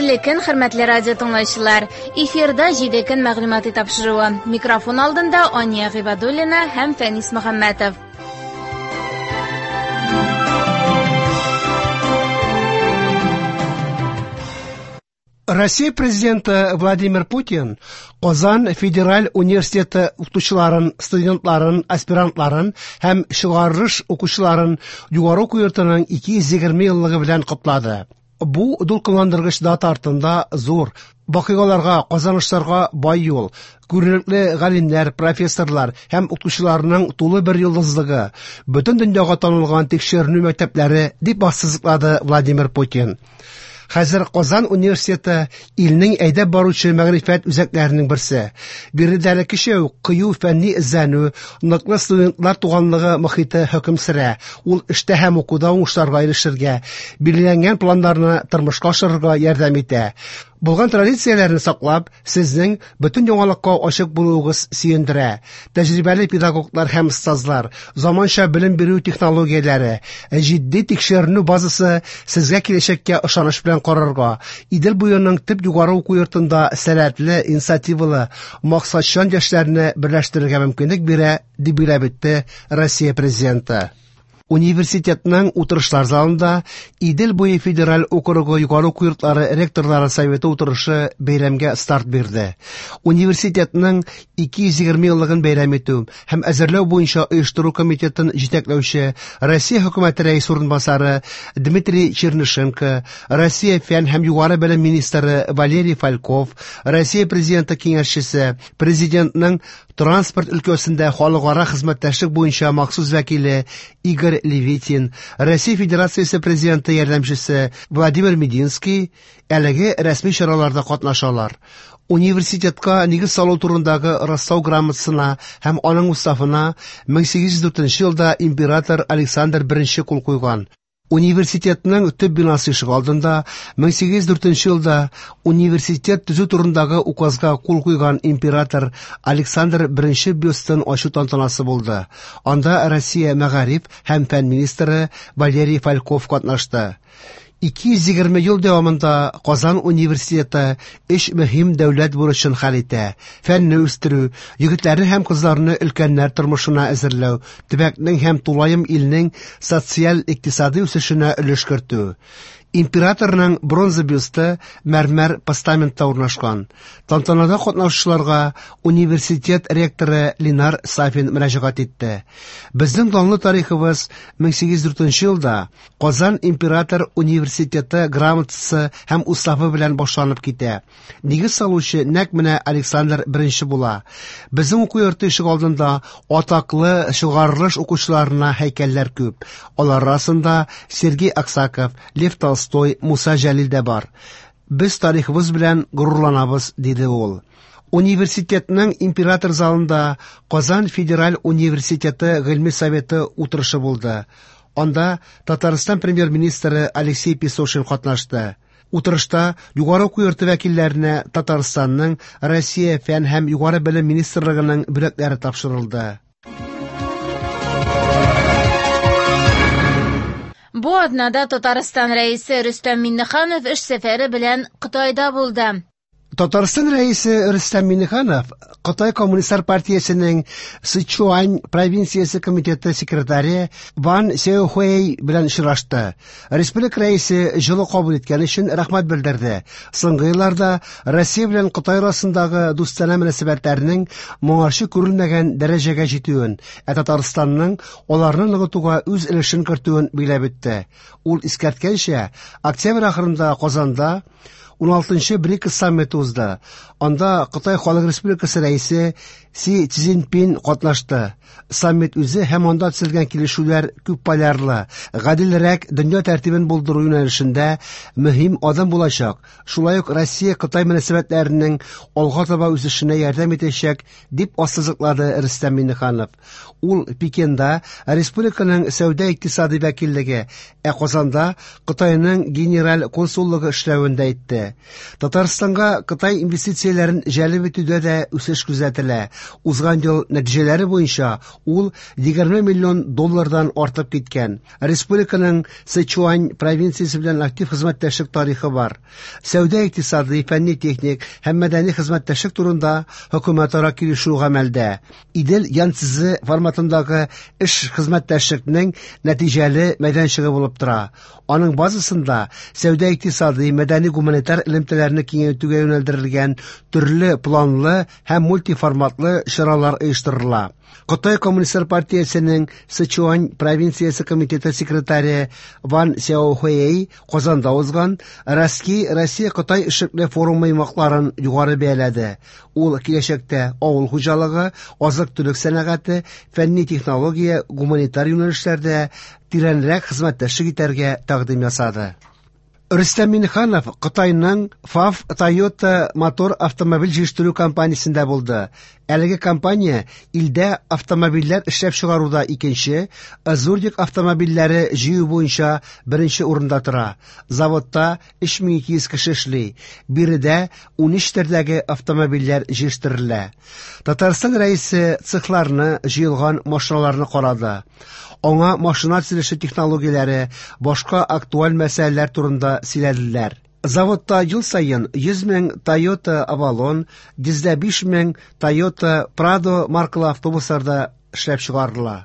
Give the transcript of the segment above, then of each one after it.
Хәерле көн, хөрмәтле радио тыңлаучылар. Эфирда 7 көн мәгълүмати тапшыруы. Микрофон алдында Ания Гыйбадуллина һәм Фәнис Мөхәммәтов. Россия президенты Владимир Путин Казан федераль университеты укытучыларын, студентларын, аспирантларын һәм чыгарылыш укучыларын югары уку йортының 220 еллыгы белән котлады. Бу дулкынландыргыч дата артында зур вакыйгаларга, казанышларга бай юл, күренекле галимнәр, профессорлар һәм укытучыларның тулы бер йолдызлыгы, бөтен дөньяга танылган тикшеренү мәктәпләре, дип ассызыклады Владимир Путин. Хәзер Казан университеты илнең әйдәп баручы мәгърифәт үзәкләренең берсе. Биредә элеккечә үк кыю фәнни эзләнү, ныклы студентлар туганлыгы мохите хөкем сөрә. Ул эштә һәм укуда уңышларга ирешергә, билгеләнгән планнарны тормышка ашырырга ярдәм итә. Булган традицияләрне саклап, сезнең бөтен яңалыкка ачык булуыгыз сөендерә. Тәҗрибәле педагоглар һәм остазлар, заманча белем бирү технологияләре, җитди тикшеренү базасы сезгә киләчәккә ышаныч белән карарга, Идел буеның төп югары уку йортында сәләтле, инициативалы, максатчан яшьләрне берләштерергә мөмкинлек бирә, дип билгеләп үтте Россия Президенты. Университетның утырышлар залында Идел буе федераль округы югары уку йортлары ректорлары советы утырышы бәйрәмгә старт бирде. Университетның 220 еллыгын бәйрәм итү һәм әзерләү буенча оештыру комитетын җитәкләүче Россия хөкүмәте рәисе урынбасары Дмитрий Чернышенко, Россия фән һәм югары белем министры Валерий Фальков, Россия президенты киңәшчесе, президентның транспорт өлкәсендә халыкара хезмәттәшлек буенча махсус вәкиле Игорь Левитин, Россия Федерациясе президенты ярдәмчесе Владимир Мединский әлеге рәсми чараларда катнашалар. Университетка нигез салу турындагы раслау грамотасына һәм аның уставына 1804 елда император Александр I кул куйган. Университетның төп бинасы ишегалдында 1804 елда университет төзү турындагы указга кул куйган император Александр I бюстын ачу тантанасы булды. Анда Россия мәгариф һәм фән министры Валерий Фальков катнашты. 220 ел дәвамында Казан университеты өч мөһим дәүләт бурычын хәл итә: фәнне үстерү, егетләрне һәм кызларны өлкәннәр тормышына әзерләү, төбәкнең һәм тулаем илнең социаль-икътисади үсешенә өлеш кертү. Императорның бронза бюсты мәрмәр постаментта урнашкан. Тантанада катнашучыларга университет ректоры Ленар Сафин мөрәҗәгать итте. Безнең данлы тарихыбыз 1804 елда Казан император университеты грамотасы һәм уставы белән башланып китә. Нигез салучы нәкъ менә Александр I була. Безнең уку йорты ишегалдында атаклы чыгарылыш укучыларына һәйкәлләр күп. Алар арасында Сергей Аксаков, Лев Толстой, Муса Җәлил дә бар. Без тарихыбыз белән горурланабыз, диде ул. Университетның император залында Казан федераль университеты гыйльми советы утырышы булды. Анда Татарстан премьер-министры Алексей Песошин катнашты. Утырышта югары уку йорты вәкилләренә Татарстанның Россия фән һәм югары белем министрлыгының бүләкләре тапшырылды. Бу атнада Татарстан Рәисе Рөстәм Миңнеханов эш сәфәре белән Кытайда булды. Татарстан Рәисе Рөстәм Миңнеханов Кытай Коммунистлар партиясенең Сычуань провинциясе комитеты секретаре Ван Сяохуэй белән очрашты. Республика Рәисе җылы кабул иткән өчен рәхмәт белдерде. Соңгы елларда Россия белән Кытай арасындагы дустанә мөнәсәбәтләрнең моңарчы күрелмәгән дәрәҗәгә җитүен, ә Татарстанның аларны ныгытуга үз өлешен кертүен билгеләп үтте. Ул искәрткәнчә, октябрь ахырында Казанда 16-нчы БРИКС саммиты узды. Анда Кытай Халык Республикасы рәисе Си Цзиньпин катнашты. Саммит үзе һәм анда төзелгән килешүләр күп полярлы, гаделрәк дөнья тәртибен булдыру юнәлешендә мөһим адым булачак. Шулай ук Россия-Кытай мөнәсәбәтләренең алга таба үсешенә ярдәм итәчәк, дип ассызыклады Рөстәм Миңнеханов. Ул Пекинда республиканың сәүдә-икътисади вәкиллеге, ә Казанда Кытайның генераль консуллыгы эшләвен дә әйтте. Татарстанга Кытай инвестицияләрен җәлеп итүдә дә үсеш күзәтелә. Узган ел нәтиҗәләре буенча ул 20 миллион доллардан артып киткән. Республиканың Сычуань провинциясе белән актив хезмәттәшлек тарихы бар. Сәүдә-икътисади, фәнни-техник һәм мәдәни хезмәттәшлек турында хөкүмәтара килешү гамәлдә. Идел Янцзы форматындагы эш хезмәттәшлекнең нәтиҗәле мәйданчыгы булып тора. Аның базасында сәүдә-икътисади, мәдәни-гуманитар элемтәләрне киңәйтүгә юнәлдерелгән төрле планлы һәм мультиформатлы чаралар оештырыла. Кытай Коммунистлар партиясенең Сычуань провинциясе комитеты секретаре Ван Сяохуэй Казанда узган Россия-Кытай эшлекле форумы йомгакларын югары бәяләде. Ул киләчәктә авыл хуҗалыгы, азык-төлек сәнәгате, фәнни технология, гуманитар юнәлешләрдә тирәнрәк хезмәттәшлек итәргә тәкъдим ясады. Рөстәм Миңнеханов Кытайның FAW Toyota Motor автомобиль җитештерү компаниясендә булды. Әлеге компания илдә автомобильләр эшләп чыгаруда икенче, Зурдик автомобильләре җыю буенча беренче урында тора. Заводта 3200 кеше эшли. Биредә 13 төрдәге автомобильләр җитештерелә. Татарстан Рәисе цехларны, җыелган машиналарны карады. Аңа машина төзелеше технологияләре, башка актуаль мәсьәләләр турында сөйләделәр. Заводта ел саен 100 мең Toyota Avalon, 105 мең Toyota Prado маркалы автобуслар да эшләп чыгарыла.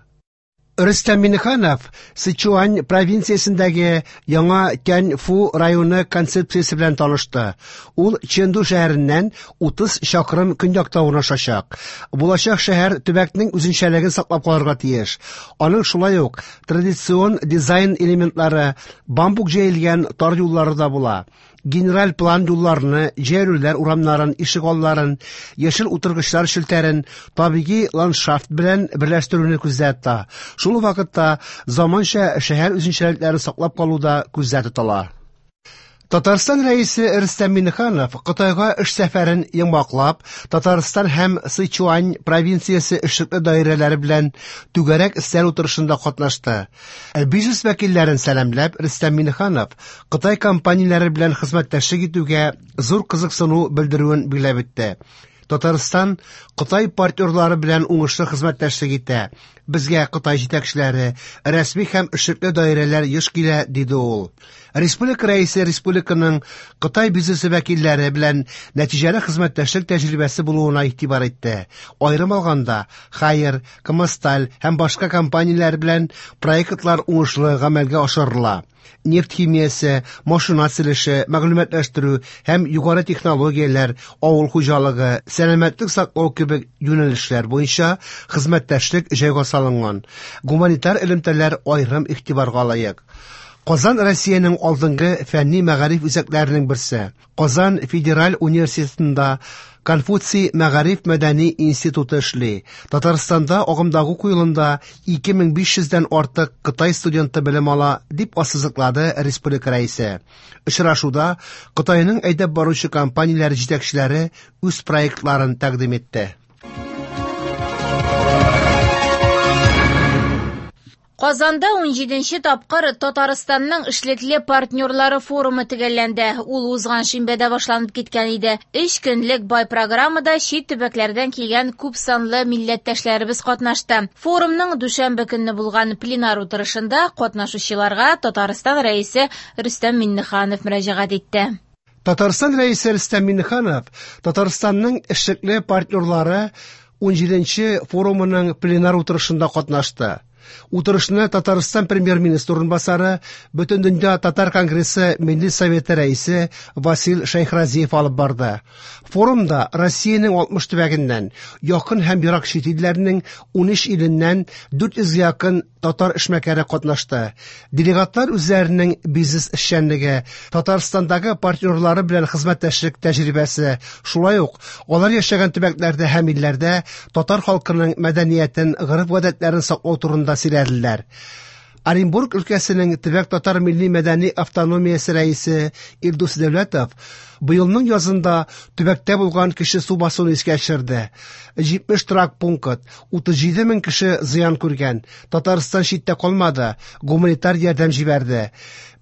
Рөстәм Миңнеханов Сычуань провинциясендәге яңа Тяньфу районы концепциясе белән танышты. Ул Чэнду шәһәреннән 30 чакрым көньякта урнашачак. Булачак шәһәр төбәкнең үзенчәлеген саклап калырга тиеш. Аның шулай ук традицион дизайн элементлары, бамбук җәелгән тар юллары да була. Генераль план юлларны, җәйләүләр урамнарын, ишегалларын, яшел утыргычлар челтәрен табигый ландшафт белән берләштерүне күздә тота. Шул ук вакытта заманча шәһәр үзенчәлекләрен саклап калу да күздә тотыла. Татарстан Рәисе Рөстәм Миңнеханов Кытайга эш сәфәрен йомгаклап, Татарстан һәм Сычуань провинциясе эшлекле даирәләре белән түгәрәк өстәл утырышында катнашты. Бизнес вәкилләрен сәламләп, Рөстәм Миңнеханов Кытай компанияләре белән хезмәттәшлек итүгә зур кызыксыну белдерүен билгеләп үтте. Татарстан Кытай партнерлары белән уңышлы хезмәттәшлек итә. Безгә Кытай җитәкчеләре, рәсми һәм эшлекле даирәләр еш килә, диде ул. Республика рәисе республиканың Кытай бизнесы вәкилләре белән нәтиҗәле хезмәттәшлек тәҗрибәсе булуына игътибар итте. Аерым алганда, Haier, Камасталь һәм башка компанияләр белән проектлар уңышлы гамәлгә ашырыла. Нефть химиясе, машина төзелеше, мәгълүматлаштыру һәм югары технологияләр, авыл хуҗалыгы, сәламәтлек саклау кебек юнәлешләр буенча хезмәттәшлек җайга салынган. Гуманитар элемтәләр аерым игътибарга лаек. Казан Россиянең алдынгы фәнни мәгариф үзәкләренең берсе. Казан федераль университетында Конфуций мәгариф мәдәни институты эшли. Татарстанда агымдагы уку елында 2500дән артык Кытай студенты белем ала, дип ассызыклады республика рәисе. Очрашуда Кытайның әйдәп баручы компанияләре җитәкчеләре үз проектларын тәкъдим итте. Казанда 17нче тапкыр Татарстанның эшлекле партнерлары форумы төгәлләнде. Ул узган шимбәдә башланып киткән иде. 3 көнлек бай программада чит төбәкләрдән килгән күп санлы милләттәшләребез катнашты. Форумның дүшәмбе көнне булган пленар утырышында катнашучыларга Татарстан Рәисе Рөстәм Миңнеханов мөрәҗәгать итте. Татарстан Рәисе Рөстәм Миңнеханов Татарстанның эшлекле партнерлары 17нче форумының пленар утырышында катнашты. Утырышны Татарстан премьер-министры урынбасары, Бөтендөнья татар конгрессы Милли советы рәисе Васил Шәйхразиев алып барды. Форумда Россиянең 60 төбәгеннән, якын һәм ерак чит илләрнең 13 иленнән 400 якын татар эшмәкәре катнашты. Делегатлар үзләренең бизнес эшчәнлеге, Татарстандагы партнерлары белән хезмәттәшлек тәҗрибәсе, шулай ук алар яшәгән төбәкләрдә һәм илләрдә татар халкының мәдәниятен, гореф-гадәтләрен саклау турында сөйләделәр. Оренбург өлкәсенең төбәк татар милли мәдәни автономиясе рәисе Илдус Дәүләтов быелның язында төбәктә булган кеше су басуын искә төшерде. 70 торак пункт, 37 мең кеше зыян күргән. Татарстан читтә калмады, гуманитар ярдәм җибәрде.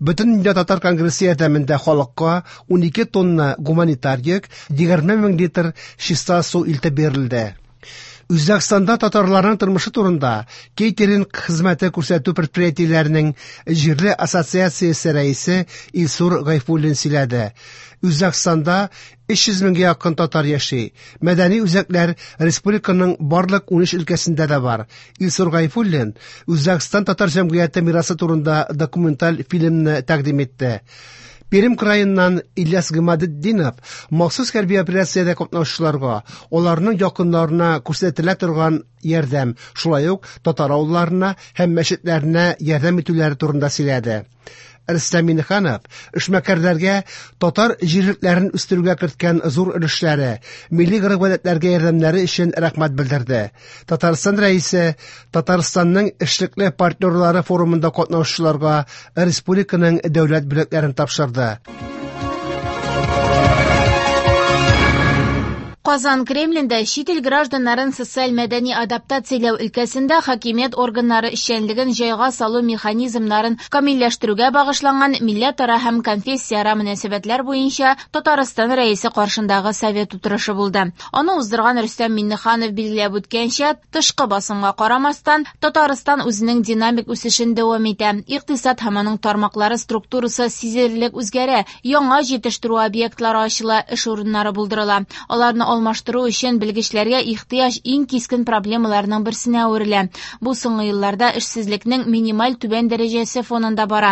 Бөтендөнья татар конгрессы ярдәмендә халыкка 12 тонна гуманитар йөк, 20 мең литр чиста су илтеп бирелде. Үзбәкстанда татарларның тормышы турында кейтеринг хезмәте күрсәтү предприятиеләренең җирле ассоциациясе рәисе Илсур Гайфуллин сөйләде. Үзбәкстанда 300 меңгә якын татар яши. Мәдәни үзәкләр республиканың барлык 13 өлкәсендә дә бар. Илсур Гайфуллин Үзбәкстан татар җәмгыяте мирасы турында документаль фильмны тәкъдим итте. Пермь краеннан Ильяс Гыймадетдинов махсус хәрби операциядә катнашучыларга, аларның якыннарына күрсәтелә торган ярдәм, шулай ук татар авылларына һәм мәчетләренә ярдәм итүләре турында сөйләде. Рөстәм Миңнеханов эшмәкәрләргә татар җирлекләрен үстерүгә керткән зур өлешләре, милли гореф-гадәтләргә ярдәмнәре өчен рәхмәт белдерде. Татарстан Рәисе Татарстанның эшлекле партнерлары форумында катнашучыларга республиканың дәүләт бүләкләрен тапшырды. Казан Кремлендә чит ил гражданнарын социаль-мәдәни адаптацияләү өлкәсендә хакимият органнары эшчәнлеген җайга салу механизмнарын камилләштерүгә багышланган милләтара һәм конфессияара мөнәсәбәтләр буенча Татарстан Рәисе каршындагы совет утырышы булды. Аны уздырган Рөстәм Миңнеханов билгеләп үткәнчә, тышкы басымга карамастан, Татарстан үзенең динамик үсешен дәвам итә. Икътисад һәм аның тармаклары структурасы сизелерлек үзгәрә, яңа җитештерү объектлары ачыла, эш урыннары булдырыла. Аларны алмаштыру өчен белгечләргә ихтыяҗ иң кискен проблемаларның берсенә әверелә. Бу соңгы елларда эшсезлекнең минималь түбән дәрәҗәсе фонында бара.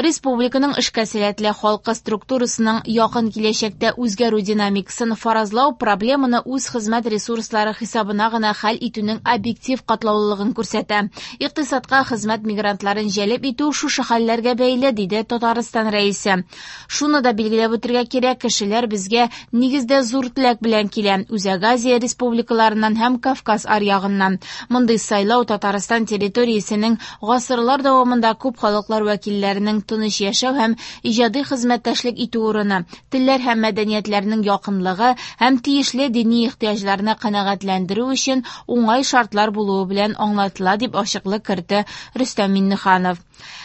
Республиканың эшкә сәләтле халкы структурасының якын киләчәктә үзгәрү динамикасын фаразлау проблеманы үз хезмәт ресурслары хисабына гына хәл итүнең объектив катлаулылыгын күрсәтә. Икътисадка хезмәт мигрантларын җәлеп итү шушы хәлләргә бәйле, диде Татарстан Рәисе. Шуны да билгеләп үтергә кирәк, кешеләр безгә нигездә зур теләк белән килә, Үзәк Азия республикаларыннан һәм Кавказ аръягыннан. Мондый сайлау Татарстан территориясенең гасырлар дәвамында күп халыклар вәкилләренең тыныч яшәү һәм иҗади хезмәттәшлек итү урыны, телләр һәм мәдәниятләрнең якынлыгы һәм тиешле дини ихтыяҗларны канәгатьләндерү өчен уңай шартлар булуы белән аңлатыла, дип ачыклык кертте Рөстәм Миңнеханов.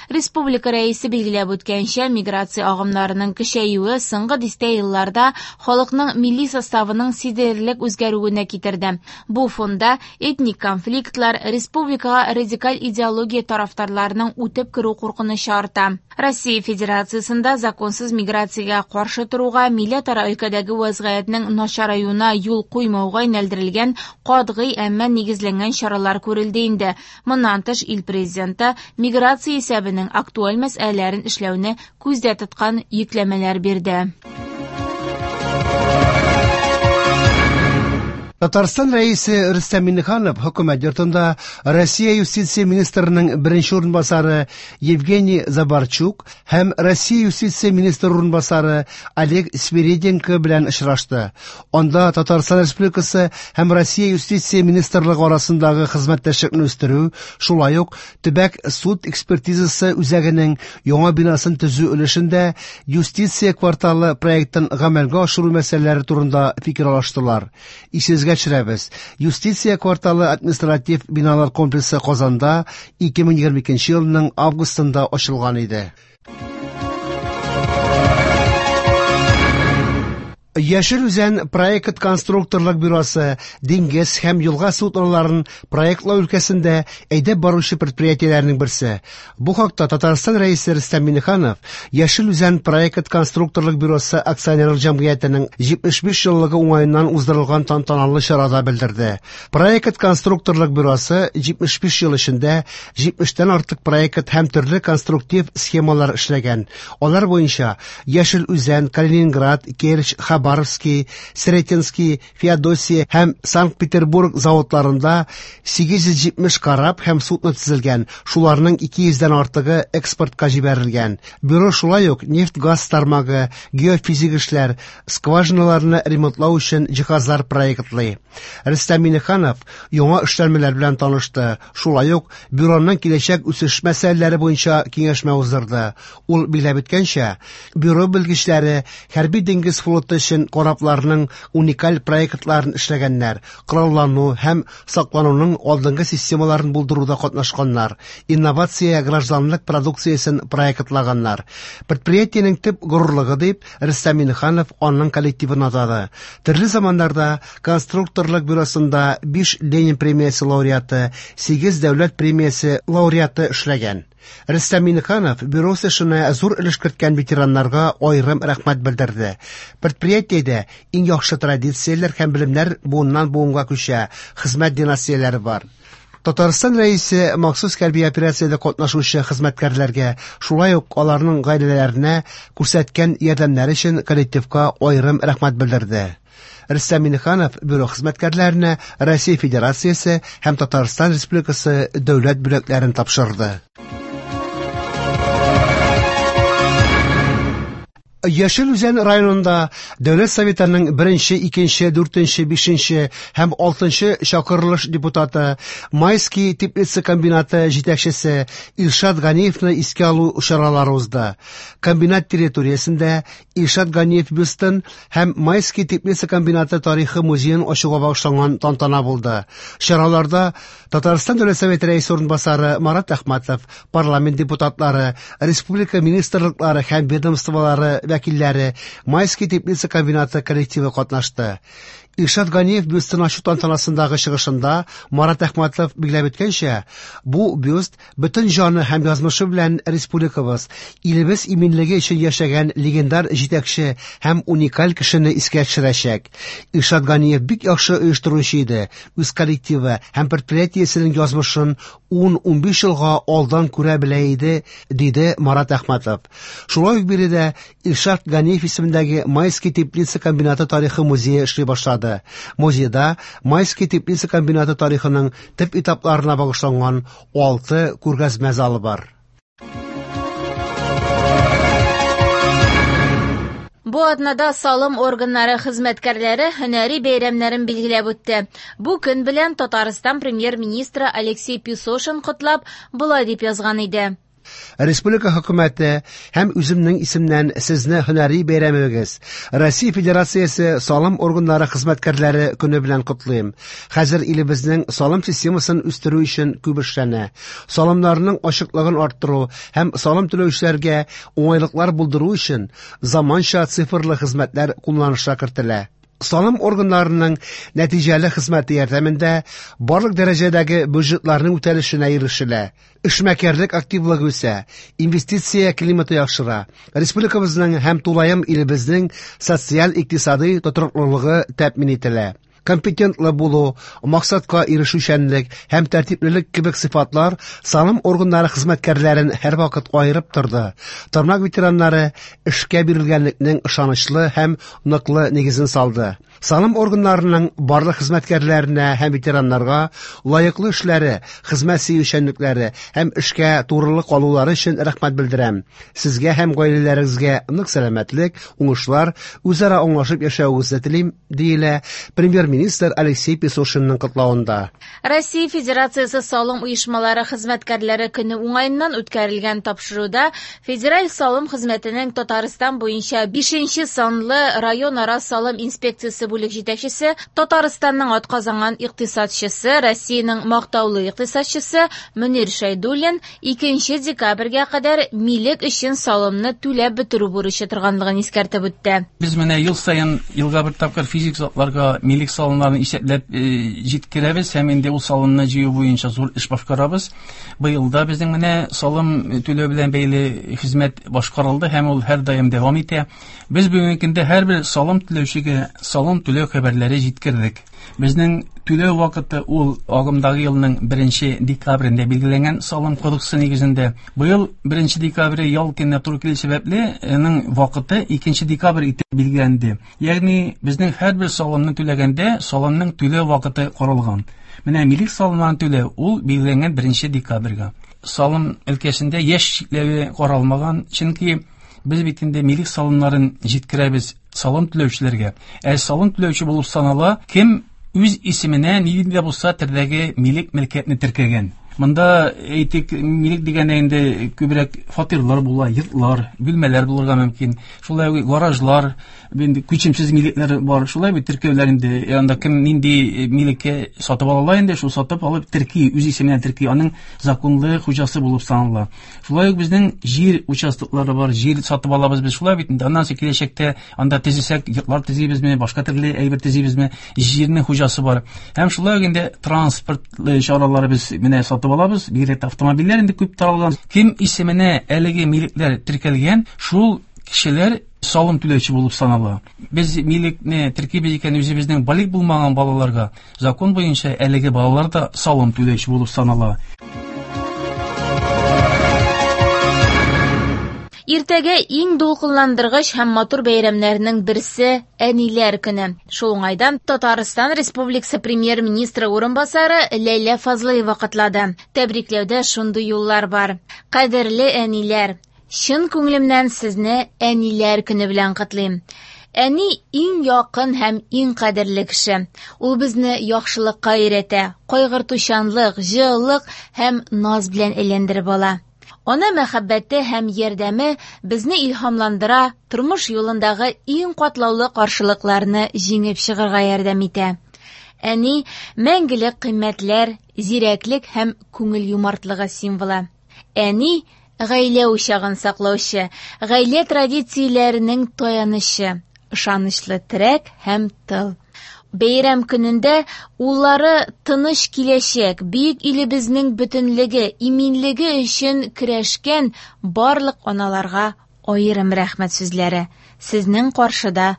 Республика Рәисе билгеләп үткәнчә, миграция агымнарының көчәюе соңгы дистә елларда халыкның милли составының сизелерлек үзгәрүенә китерде. Бу фонда этник конфликтлар, республикага радикаль идеология тарафдарларының үтеп керү куркынычы арта. Россия Федерациясендә законсыз миграциягә каршы торуга, милләтара өлкәдәге вазгыятьнең начараюына юл куймауга юнәлдерелгән катгый, әмма нигезләнгән чаралар күрелде инде. Моннан тыш, ил президенты миграция исәбенең актуаль мәсьәләләрен эшләүне күздә тоткан йөкләмәләр бирде. Татарстан Рәисе Рөстәм Миңнеханов хөкүмәт йортында Россия юстиция министрының беренче урынбасары Евгений Забарчук һәм Россия юстиция министры урынбасары Олег Свириденко белән очрашты. Анда Татарстан Республикасы һәм Россия юстиция министрлыгы арасындагы хезмәттәшлекне үстерү, шулай ук төбәк суд экспертизасы үзәгенең яңа бинасын төзү өлешендә юстиция кварталы проектын гамәлгә ашыру мәсьәләләре турында фикер алыштылар. Исегезгә төшерәбез, юстиция кварталы административ биналар комплексы Казанда 2022 елның августында ачылган иде. Яшел Үзән проект конструкторлык бюросы диңгез һәм елга судноларын проектлау өлкәсендә әйдәп баручы предприятиеләрнең берсе. Бу хакта Татарстан Рәисе Рөстәм Миңнеханов Яшел Үзән проект конструкторлык бюросы акционерлык җәмгыятенең 75 еллыгы уңаеннан уздырылган тантаналы чарада белдерде. Проект конструкторлык бюросы 75 ел эчендә 70-тән артык проект һәм төрле конструктив схемалар эшләгән. Алар буенча Яшел Үзән, Калининград, Керчь, Хабаровский, Сретенский, Феодосия һәм Санкт-Петербург заводларында 870 кораб һәм судно төзелгән, шуларның 200-дән артыгы экспортка җибәрелгән. Бюро шулай ук нефть-газ тармагы, геофизик эшләр, скважиналарны ремонтлау өчен җиһазлар проектлый. Рөстәм Миңнеханов яңа эшләнмәләр белән танышты. Шулай ук бюроның киләчәк үсеш мәсьәләләре буенча киңәшмә уздырды. Ул билгеләп үткәнчә, бюро белгечләре хәрби диңгез флоты өчен өчен корабларның уникаль проектларын эшләгәннәр, кораллану һәм саклануның алдынгы системаларын булдыруда катнашканнар, инновация гражданлык продукциясен проектлаганнар. Предприятиенең төп горурлыгы дип Рөстәм Миңнеханов аның коллективын атады. Төрле заманнарда конструкторлык бюросында 5 Ленин премиясе лауреаты, 8 дәүләт премиясе лауреаты эшләгән. Рөстәм Миңнеханов бюро үсешенә зур өлеш керткән ветераннарга аерым рәхмәт белдерде. Предприятиедә иң яхшы традицияләр һәм белемнәр буыннан буынга күчә, хезмәт династияләре бар. Татарстан Рәисе махсус хәрби операциядә катнашучы хезмәткәрләргә, шулай ук аларның гаиләләренә күрсәткән ярдәмнәре өчен коллективка аерым рәхмәт белдерде. Рөстәм Миңнеханов бюро хезмәткәрләренә Россия Федерациясе һәм Татарстан Республикасы дәүләт бүләкләрен тапшырды. Яшел Үзән районында Дәүләт Советының 1, 2, 4, 5 һәм 6 чакырылыш депутаты, Майский теплица комбинаты җитәкчесе Илшат Ганиевны искә алу чаралары узды. Комбинат территориясендә Илшат Ганиев бюстын һәм Майский теплица комбинаты тарихы музеен ачуга багышланган тантана булды. Чараларда Татарстан Дәүләт Советы рәисе урынбасары Марат Әхмәтов, парламент депутатлары, республика министрлыклары һәм ведомстволары вәкилләре, Майский теплица комбинаты коллективы катнашты. Илшат Ганиев бюстын ачу тантанасындагы чыгышында Марат Әхмәтов билгеләп үткәнчә, бу бюст бөтен җаны һәм язмышы белән республикабыз, илебез иминлеге өчен яшәгән легендар җитәкче һәм уникаль кешене искә төшерәчәк. Илшат Ганиев бик яхшы оештыручы иде, үз коллективы һәм предприятиесенең язмышын 10-15 елга алдан күрә белә иде, диде Марат Әхмәтов. Шулай ук биредә Илшат Ганиев исемендәге Майский теплица комбинаты тарихы музее эшли башлады. Музейда Майский теплица комбинаты тарихының төп этапларына багышланган 6 күргәзмә залы бар. Бу атнада салым органнары хезмәткәрләре һөнәри бәйрәмнәрен билгеләп үтте. Бу көн белән Татарстан премьер-министры Алексей Песошин котлап, болай дип язган иде. Республика хөкүмәте һәм үземнең исемнән сезне һөнәри бәйрәмегез, Россия Федерациясе салым органнары хезмәткәрләре көне белән котлыйм. Хәзер илебезнең салым системасын үстерү өчен күп эшләнә. Салымнарның ачыклыгын арттыру һәм салым түләүчеләргә уңайлыклар булдыру өчен заманча цифрлы хезмәтләр кулланышка кертелә. Салым органнарының нәтиҗәле хезмәте ярдәмендә барлык дәрәҗәдәге бюджетларның үтәлешенә ирешелә. Эшмәкәрлек активлыгы үсә, инвестиция климаты яхшыра. Республикабызның һәм тулаем илебезнең социаль-икътисадый тотрыклылыгы тәэмин ителә. Компетентлы булу, максатка ирешүчәнлек һәм тәртиплелек кебек сыйфатлар салым органнары хезмәткәрләрен һәрвакыт аерып торды. Тармак ветераннары эшкә бирелгәнлекнең ышанычлы һәм ныклы нигезен салды. Салым органнарының барлык хезмәткәрләренә һәм ветераннарга лаеклы эшләре, хезмәт сөючәнлекләре һәм эшкә турылык калулары өчен рәхмәт белдерәм. Сезгә һәм гаиләләрегезгә нык сәламәтлек, уңышлар, үзара аңлашып яшәвегезне телим, диелә премьер-министр Алексей Песошинның котлавында. Россия Федерациясе салым оешмалары хезмәткәрләре көне уңаеннан үткәрелгән тапшыруда Федераль салым хезмәтенең Татарстан буенча 5 санлы районара салым инспекциясе бүлек җитәкчесе, Татарстанның атказанган икътисадчысы, Россиянең мактаулы икътисадчысы Мөнир Шәйдуллин 2 декабрьгә кадәр милек өчен салымны түләп бетерү бурычы торганлыгын искәртеп үтте. Без менә ел саен елга бер тапкыр физик затларга милек салымнарын исәпләп җиткерәбез һәм инде ул салымны җыю буенча зур эш башкарабыз. Быел да безнең менә салым түләү белән бәйле хезмәт башкарылды һәм ул һәрдаим дәвам итә. Без бүгенге көндә һәрбер салым түләүчегә салым түләү хәбәрләре җиткердек. Безнең түләү вакыты ул агымдагы елның 1 декабрендә билгеләнгән салым кодексы нигезендә. Быел 1 декабрь ял көненә туры килү сәбәпле, аның вакыты 2 декабрь итеп билгеләнде. Ягъни безнең һәрбер салымны түләгәндә салымның түләү вакыты каралган. Менә милек салымнарын түләү ул билгеләнгән 1 декабрьгә. Салым өлкәсендә яшь чикләве каралмаган, чөнки без бит инде милек салымнарын җиткерәбез салым түләүчеләргә. Ә салым түләүче булып санала, кем үз исеменә нинди дә булса төрдәге милек мөлкәтне теркәгән. Монда әйтик, милек дигәндә инде күбрәк фатирлар була, йортлар, бүлмәләр булырга мөмкин. Шулай ук гаражлар, инде күчемсез милекләр бар. Шулай бит теркәүләр инде, анда кем нинди милеккә сатып ала инде, шул сатып алып терки, үз исеменә терки, аның законлы хуҗасы булып санала. Шулай ук безнең җир участоклары бар, җир сатып алабыз без шулай бит инде. Аннан соң киләчәктә анда төзесәк, йортлар төзибезме, башка төрле әйбер төзибезме, җирнең хуҗасы бар. Һәм шулай ук инде транспорт чаралары без менә сатып алабыз, бигрәк тә автомобильләр инде күп таралган. Кем исеменә әлеге милекләр теркәлгән, шул кешеләр салым түләүче булып санала. Без милекне теркибез икән үзебезнең балигъ булмаган балаларга, закон буенча әлеге балалар да салым түләүче булып санала. Иртәгә иң дулкынландыргыч һәм матур бәйрәмнәрнең берсе Әниләр көне. Шул уңайдан Татарстан Республикасы премьер-министры урынбасары Ләйлә Фазлыева котлады. Тәбрикләүдә шундый юллар бар. Кадерле әниләр, чын күңелемнән сезне Әниләр көне белән котлыйм. Әни иң якын һәм иң кадерле кеше. Ул безне яхшылыкка өйрәтә, кайгыртучанлык, җылылык һәм наз белән әйләндереп ала. Ана мәхәббәте һәм ярдәме безне илһамландыра, тормыш юлындагы иң катлаулы каршылыкларны җиңеп чыгарга ярдәм итә. Әни мәңгелек кыйммәтләр, зирәклек һәм күңел юмартлыгы символы. Әни гаилә учагын саклаучы, гаилә традицияләренең таянычы, ышанычлы терәк һәм тыл. Бәйрәм көнендә уллары тыныч киләчәк, бөек илебезнең бөтенлеге, иминлеге өчен көрәшкән барлык аналарга аерым рәхмәт сүзләре. Сезнең каршыда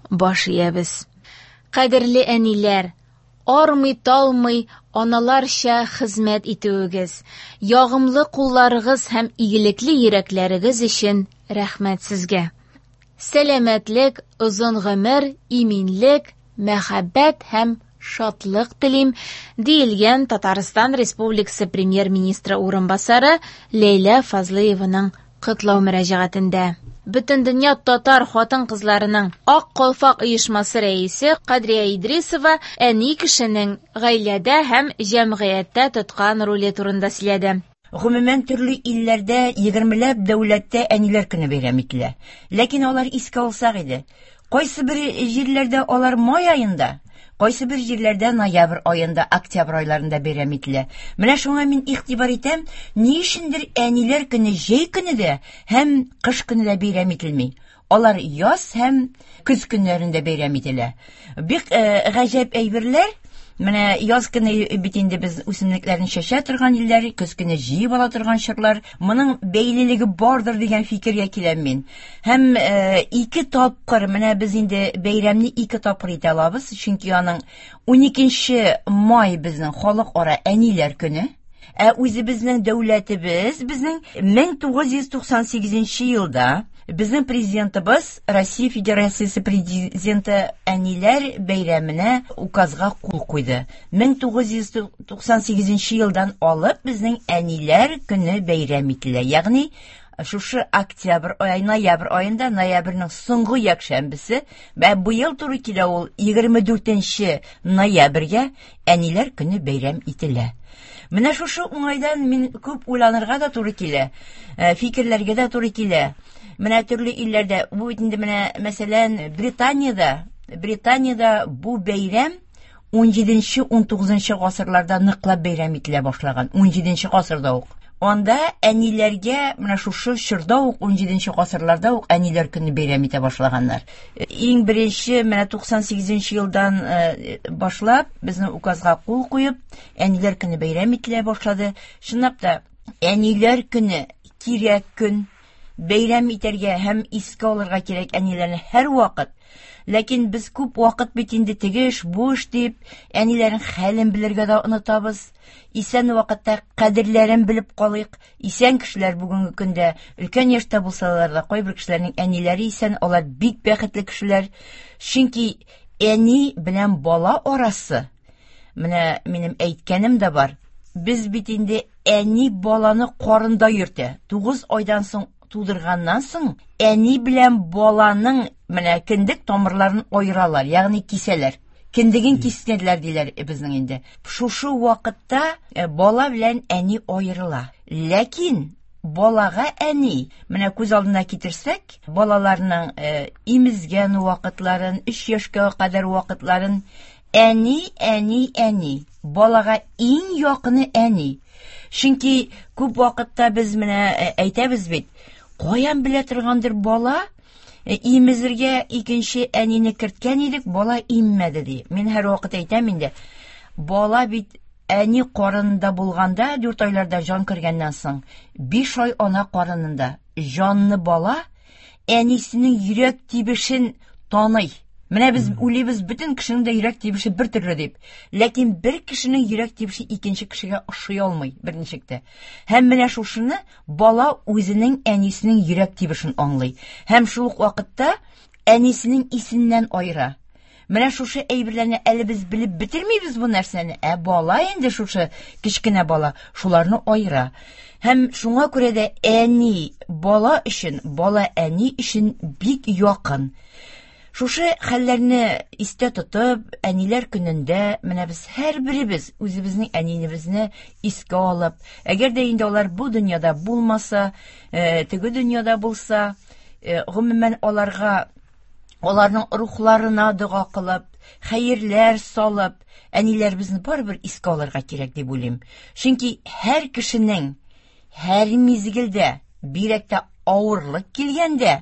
баш иябез. Кадерле әниләр, армый-талмый аналарча хезмәт итүегез, ягымлы кулларыгыз һәм игелекле йөрәкләрегез өчен рәхмәт сезгә. Сәламәтлек, озын гомер, иминлек, мәхәббәт һәм шатлык телим, диелгән Татарстан Республикасы премьер-министры урынбасары Ләйлә Фазлыеваның котлау мөрәҗәгатендә. Бөтендөнья татар хатын-кызларының Ак калфак оешмасы рәисе Кадрия Идрисова әни кешенең гаиләдә һәм җәмгыятьтә тоткан роле турында сөйләде. Гомумән, төрле илләрдә, егермеләп дәүләттә әниләр көне бәйрәм ителә. Ләкин алар искә алсак иде. Кайсы бер җирләрдә алар май аенда, кайсы бер җирләрдә ноябрь аенда, октябрь айларында бәйрәм ителә. Менә шуңа мин игътибар итәм, ни өчендер әниләр көне җәй көне дә һәм кыш көне дә бәйрәм ителми. Алар яз һәм көз көннәрендә бәйрәм ителә. Бик гаҗәп әйберләр. Менә яз көне бит инде без үсемлекләрне чәчә торган илләр, көз көне җыеп ала торган чорлар. Моның бәйлелеге бардыр дигән фикергә киләм мин. Һәм ике тапкыр, менә без инде бәйрәмне ике тапкыр итә алабыз, чөнки аның 12 май безнең халыкара әниләр көне. Ә үзебезнең дәүләтебез безнең 1998 елда безнең президентыбыз Россия Федерациясе президенты әниләр бәйрәменә указга кул куйды. 1998 елдан алып безнең әниләр көне бәйрәм ителә. Ягъни шушы октябрь ай, ноябрь аенда, ноябрьнең соңгы якшәмбесе, вә быел туры килә ул 24 ноябрьгә әниләр көне бәйрәм ителә. Менә шушы уңайдан мин күп уйланырга да туры килә, фикерләргә дә туры килә. Менә төрле илләрдә, бу бит инде менә, мәсәлән, Британиядә бу бәйрәм 17-19 гасырларда ныклап бәйрәм ителә башлаган, 17 гасырда ук. Анда әниләргә менә шушы чорда ук, 17 гасырларда ук әниләр көне бәйрәм итә башлаганнар. Иң беренче менә 98 елдан башлап безнең указга кул куеп, әниләр көне бәйрәм ителә башлады. Чынлап та, әниләр көне кирәк көн, бәйрәм итәргә һәм искә алырга кирәк әниләрне һәрвакыт. Ләкин без күп вакыт бит инде теге эш, бу эш дип, әниләрнең хәлен белергә дә онытабыз. Исән вакытта кадерләрен белеп калыйк. Исән кешеләр бүгенге көндә өлкән яшьтә булсалар да, кайбер кешеләрнең әниләре исән, алар бик бәхетле кешеләр. Чөнки әни белән бала арасы, менә минем әйткәнем дә бар, без бит инде әни баланы карында йөртә. 9 айдан соң тудырганнан соң әни белән баланың менә кендек тамырларын аералар, ягъни кисәләр. Кендеген кистеләр диләр безнең инде. Шушы вакытта бала белән әни аерыла. Ләкин балага әни, менә күз алдына китерсәк, балаларның имезгән вакытларын, 3 яшькә кадәр вакытларын, әни, әни, әни. Балага иң якыны әни. Чөнки күп вакытта без менә әйтәбез бит, каян белә торгандыр бала, имезергә икенче әнине керткән идек, бала иммәде ди. Мин һәр вакыт әйтәм инде, бала бит әни карынында булганда, 4 айларда җан кергәннән соң, 5 ай ана карынында җанны бала әнисенең йөрәк тибешен таный. Менә без уйлыйбыз, бөтен кешенең дә йөрәк тибеше бер төрле дип. Ләкин бер кешенең йөрәк тибеше икенче кешегә ошый алмый берничек тә. Һәм менә шушыны бала үзенең әнисенең йөрәк тибешен аңлый. Һәм шул ук вакытта әнисенең исеннән аера. Менә шушы әйберләрне әле без белеп бетермибез бу нәрсәне, ә бала инде шушы кечкенә бала шуларны аера. Һәм шуңа күрә дә әни бала өчен, бала әни өчен бик якын. Шушы хәлләрне истә тотып, әниләр көнендә менә без һәрберебез үзебезнең әнинебезне искә алып, әгәр дә инде алар бу дөньяда булмаса, теге дөньяда булса, гомумән аларга, аларның рухларына дога кылып, хәерләр салып, әниләребезне барыбер искә алырга кирәк дип уйлыйм. Чөнки һәр кешенең һәр мизгелдә, бигрәк тә авырлык килгәндә,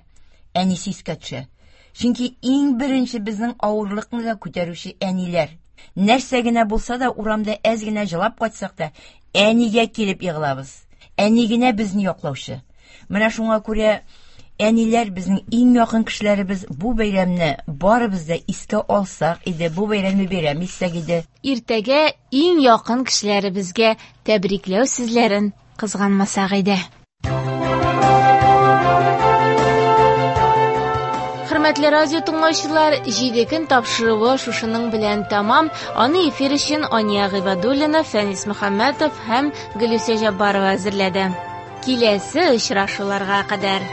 әнисе искә төшә. Чөнки иң беренче безнең авырлыкны да күтәрүче әниләр. Нәрсә генә булса да, урамда әз генә җылап кайтсак та, әнигә килеп егылабыз. Әни генә безне яклаучы. Менә шуңа күрә әниләр безнең иң якын кешеләребез. Бу бәйрәмне барыбыз да искә алсак иде, бу бәйрәмне бәйрәм итсәк иде. Иртәгә иң якын кешеләребезгә тәбрикләү сүзләрен кызганмасак иде. Хөрмәтле радио тыңлаучылар, 7 көн тапшыруы шушының белән тәмам. Аны эфир өчен Ания Гыйбадуллина, Фәнис Мөхәммәтов һәм Гөлүсә Җаббарова әзерләде. Киләсе очрашуларга кадәр.